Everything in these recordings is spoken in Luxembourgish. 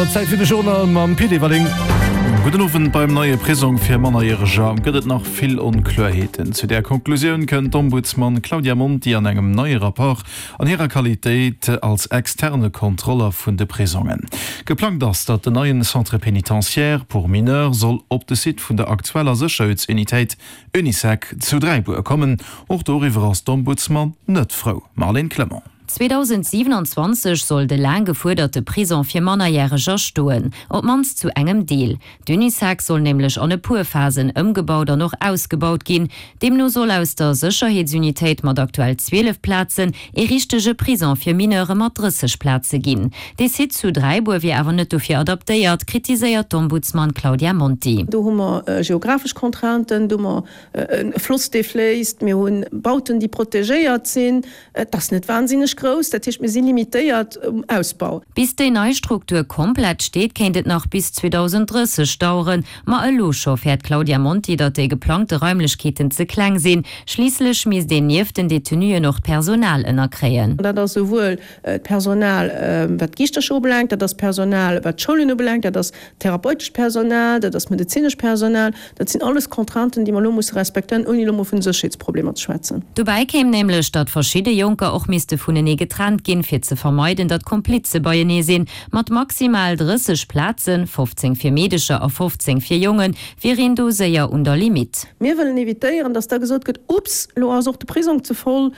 Auer, Zäit fir de Journal mam Pit Everling. Gudden Owend. Beim neie Prisong fir Mannerjäreger gëtt et nach vill Onkloerheeten. Zu där Konklusioun kënnt d'Ombudsman Claudia Monti an engem neie Rapport an hirer Qualitéit als externe Kontroller vun de Prisongen. Geplangt ass, datt den neien Centre pénitentiaire pour mineurs soll op de Site vun der aktueller Sécherheetsunitéit Unisec zu Dräibuer kommen. Och doriwwer ass d'Ombudsman net frou. Marlène Clement. 2027 soll de laang gefuerderte Prison fir Mannerjäreger stoen, op d'mannst zu engem Deel. D'Unisec soll nämlech an e puer Phasen ëmgebaut an och ausgebaut ginn. Deemno soll aus der Sécherheetsunitéit mat aktuell 12 Plazen ee richtege Prison fir Mineure mat 30 Plaze ginn. Dee Site zu Dräibuer wier awer net dofir adaptéiert, kritiséiert d'Ombudsman Claudia Monti. Do hu mer geographesch Contrainten, do hu mer e Floss, dee fléisst, mir hu Bauten, déi protegéiert sinn. Et ass net wahnsinneg grouss, dat heescht mir si limitéiert um Ausbau. Bis déi nei Struktur komplett steet, kéint et nach bis 2030 daueren. Ma elo scho fäert d'Claudia Monti, datt déi geplangte Raimlechkeeten ze kleng sinn. Schliisslech misst een nieft den Detenuen och d'Personal ënnerkréien. Dat ass esouwuel d'Personal wat d'Giischtercher ubelaangt, dat ass d'Personal wat d'Schoulen ubelaangt, dat ass Therapeutescht Personal, dat ass medezinescht Personal, dat sinn alles Contrainten, déi mer elo musse respektéieren, ouni elo mol vun de Sécherheetsproblemer ze schwätzen. Dobäi kéim nämlech, datt verschidde Jonker och misste vunenee getrennt ginn, fir ze vermeiden, datt Komplize beienee sinn. Mat maximal 30 Plazen, 15 fir Meedecher a 15 fir Jongen, wier een do séier un der Limitt. Mir wëllen evitéieren, datt da gesot gëtt, Ups, elo ass och de Prisong ze voll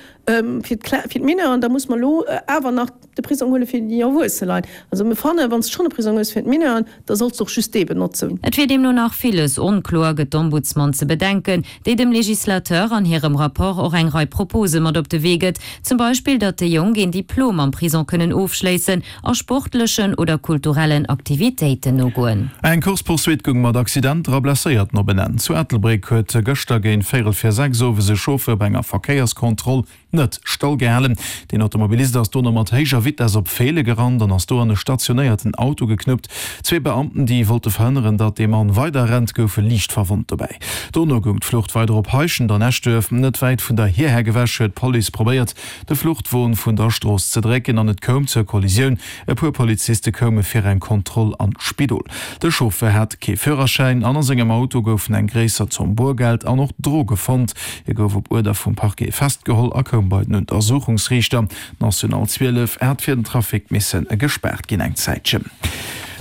fir d'Mineuren, da muss mer elo awer nach de Prisong huele fir déi erwuesse Leit. Also mir fannen, wann s de schonn e Prisong hues fir d'Mineuren, da solls de och just dee benotzen. Et wier deemno nach villes onkloer, gëtt d'Ombudsman ze bedenken, déi dem Legislateur an hirem Rapport och eng Rei Propose mat op de Wee gëtt, zum Beispill datt déi Jonk een Diplom am Prison kënnen ofschléissen a sportlechen oder kulturellen Aktivitéiten nogoen. Eng Course-poursuite goung mat Accidenter a Blesséierten op en Enn. Zu Ettelbréck huet gëschter géint véierel vir 6 owes e Chauffeur bei enger Verkéierskontroll net stall gehalen. Den Automobilist ass dono mat héijer Vitess op Feele gerannt an ass do an e stationéierten Auto geknuppt. Zwee Beamten, déi wollte verhënneren, datt dee Mann weider rennt, goufe liicht verwonnt dobäi. Dono goung d'Flucht weider op Heischent an Eschduerf. Net wäit vun der Hierhäck ewech huet d'Police probéiert, de Fluchtwon vun der Strooss ze drécken an et koum zur Kollisioun. E puer Poliziste koume fir eng Kontroll an d'Spidol. De Chauffeur hat kee Führerschäin an a sengem Auto goufen eng gréisser Zomm Boergeld an och Droge fonnt. Hie gouf op Uerder vum Parquet festgeholl a koum bei den Untersuchungsriichter. D'National 12 hat fir den Trafic misse gespaart ginn eng Zäitchen.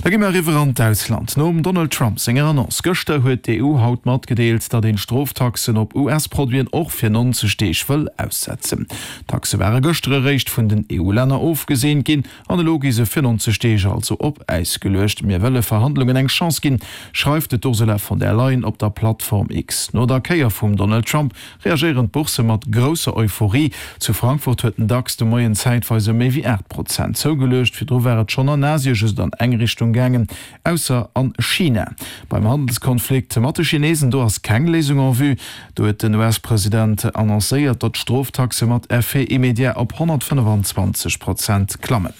Da gi mer eriwwer an d'Ausland. Nom Donald Trump senger Annonce gëschter huet d'EU haut matgedeelt, datt een d'Stroftaxen op US-Produiten och fir 90 Deeg wëll aussetzen. D'Taxe ware gëschter eréischt vun den EU-Länner ofgeseent ginn an elo gi se fir 90 Deeg also op Äis geluecht. Mir wëlle Verhandlungen eng Chance ginn, schreift de d'Ursula von der Leyen op der Plattform X. No der Kéier vum Donald Trump reagéieren d'Boursse mat grousser Euphorie. Zu Frankfurt huet den Dax de Moien zäitweis ëm méi wéi 8 Prozent zougeluecht. Virdru war et schonn an Asie just an eng Richtung gaangen, ausser an China. Beim Handelskonflikt mat de Chinesen, do ass keng Léisung en vue. Do huet den US-President annoncéiert, datt d'Stroftaxe mat Effet immédiat op 125 Prozent klammen.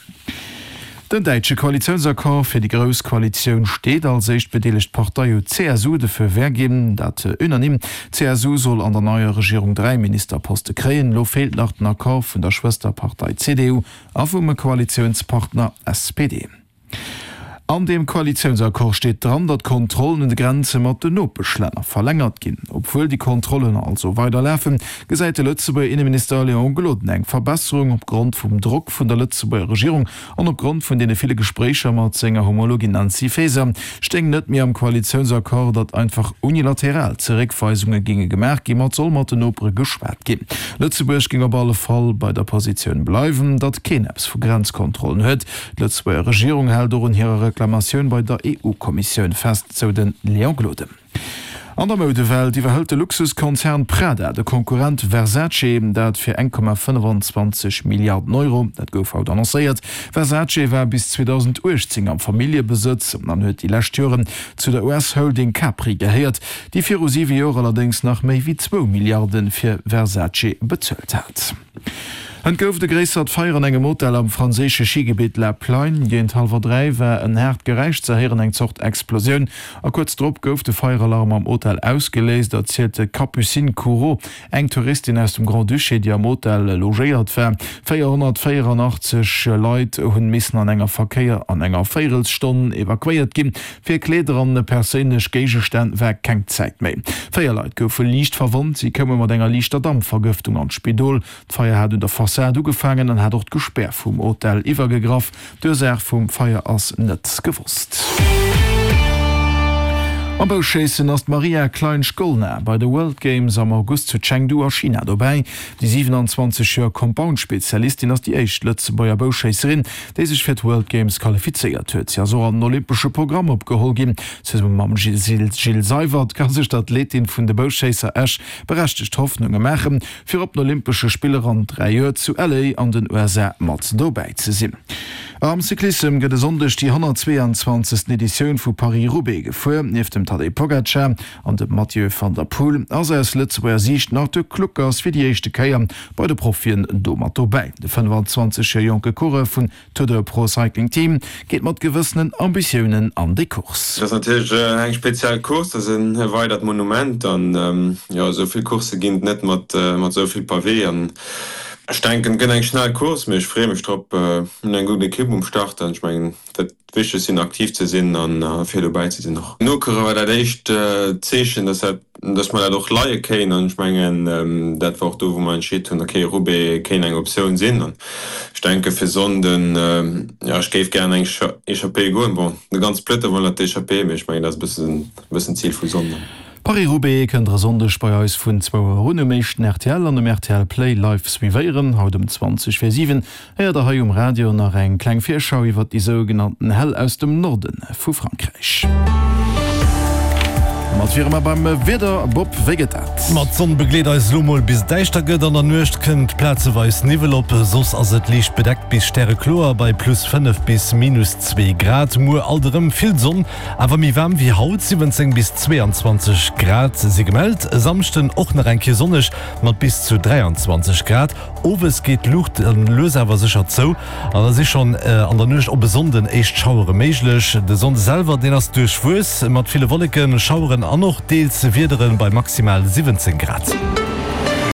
Den däitsche Koalitiounsaccord fir déi grouss Koalitioun steet. Als éischt bedeelegt Partei huet d'CSU de Feu vert ginn, dat unanime. D'CSU soll an der neier Regierung 3 Ministerposte kréien. Elo feelt nach den Accord vun der Schwësterpartei CDU a vum Koalitiounspartner SPD. An deem Koalitiounsaccord steet dran, datt d'Kontrollen un de Grenze mat den Nopeschlänner verlängert ginn. Obwuel déi Kontrollen also weider lafen, gesäit de Lëtzebuerger Inneminister Léon Gloden eng Verbesserung opgrond vum Drock vun der Lëtzebuerger Regierung an opgrond vun deene ville Gespréicher mat senger Homologin Nancy Faeser. Stéing net méi am Koalitiounsaccord, datt einfach unilateral Zeréckweisunge géinge gemaach ginn, ma et soll mat den Nopere geschwat ginn. Lëtzebuerg géing op alle Fall bei der Positioun bleiwen, datt keen eppes vu Grenzkontrollen huet. D'Lëtzebuerger Regierung hält och un hirer Reklamatioun bei der EU-Kommissioun fest, sou de Léon Gloden. An der Moudewelt iwwerhëlt de Luxuskonzern Prada de Konkurrent Versace, dat fir 1,25 Milliarden Euro. Dat gouf haut annoncéiert. Versace war bis 2018 am Familljebesëtz an huet déi lescht Joren zu der US-Holding Capri gehéiert, déi viru siwe Joer allerdéngs nach méi wéi zwou Milliarde fir Versace bezuelt hat. Et gouf e gréissert Feier an engem Hotel am franséische Schigebitt La Plagne. Géint hallwer 3 war en haart Geräisch ze héieren, eng Zort Explosioun. A kuerz drop gouf de Feieralarm am Hotel ausgeléist, erzielt d'Capucine Courot, eng Touristin aus dem Grand-Duché, déi am Hotel logéiert war. 484 Leit hunn missen an enger Verkéier an enger Véierelsstonn evakuéiert ginn. Fir Kleeder an perséinlech Géigestänn war keng Zäit méi. 4 Leit goufe liicht verwonnt, si koume mat enger liichter Dampvergëftung an d'Spidol. D'Feier hat un der Fassad ugefaangen an hat och d'Gespär vum Hotel iwwergegraff. D'Ursaach vum Feier ass net gewosst. Am Bouschéissen ass d'Maria Klein-Shkolna bei de World Games am August zu Chengdu a China dobäi. Déi 27 Joer Compound-Spezialistin ass déi éischt Lëtzebuerger Bouschéisserin, déi sech fir d'World Games qualifizéiert huet. Si ass och an den olympesche Programm opgeholl ginn. Zesumme mam Gilles Seywert ka sech d'Athletin vun de Bouschéisser Esch berechtegt Hoffnunge maachen, fir op den Olympesche Spiller an 3 Joer zu LA an den USA mat dobäi ze sinn. Am Cyclissem gëtt e Sonndeg déi 122. Editioun vu Paris-Roubaix gefuer. Nieft dem Tadej Pogacar an dem Mathieu van der Poel ass aus Lëtzebuerger Siicht nach de Kluckers fir déi éischte Kéier bei de Profien do mat dobäi. De 25 Joer jonke Coureur vun Tudor Pro Cycling Team geet mat gewëssenen Ambitiounen an déi Course. Et ass natierlech eng speziell Course, dat ass e weidert Monument an jo, esou vill Coursse ginn et net mat esou vill Pavé an ech denken et gëtt eng schnell Course, mee ech freeë mech drop. Mir hunn eng gutt Ekipp um Start an ech mengen dat Wichtegst sinn aktiv ze sinn a fir dobäi ze sinn och. Nokere war dat éischt Zeechen, dass dat dass mer dat och leie kéien an ech mengen, dat war och do, wou mer entscheet hunn, okay, Roubaix kéint eng Optioun sinn. An ech denke fir Sonnden, jo, ech géif gären eng Echappée goen. Bon, de ganze Peloton wëll nach d'Echappée, mee ech mengen, dat ass e bëssen, e bëssen d'Zil vu Sonnden. Paris-Roubaix kënnt der e Sonndeg bei eis vun zwou Auer un um éischten rtl an um rtl Play live suivéieren. Haut um 20 vir 7 Héiert der hei um Radio nach eng kleng Virschau iwwert déi sougenannten Hell aus dem Norde vu Frankräich. Domat wiere mer beim Wieder. Bob, wéi gëtt dat? Ma d'Sonn begleet eis elo mol bis et däischter gëtt. An der Nuecht kënnt plazeweis Niwwel op, soss ass et liicht bedeckt bis stärekloer bei plus 5 bis minus 2 Grad. Muer alt erëm vill Sonn, awer méi waarm wéi haut, 17 bis 22 Grad si gemellt. E Samschden och nach eng Kéier sonneg mat bis zu 23 Grad. Owes geet d'Luucht dann lues awer sécher zou an da si schonn an der Nuecht op e Sonnden éischt Schauere méiglech. De Sonnde selwer, deen ass duerchwuess mat ville Wolleken, Schaueren an och deels Wiedere bei maximal 17 Grad.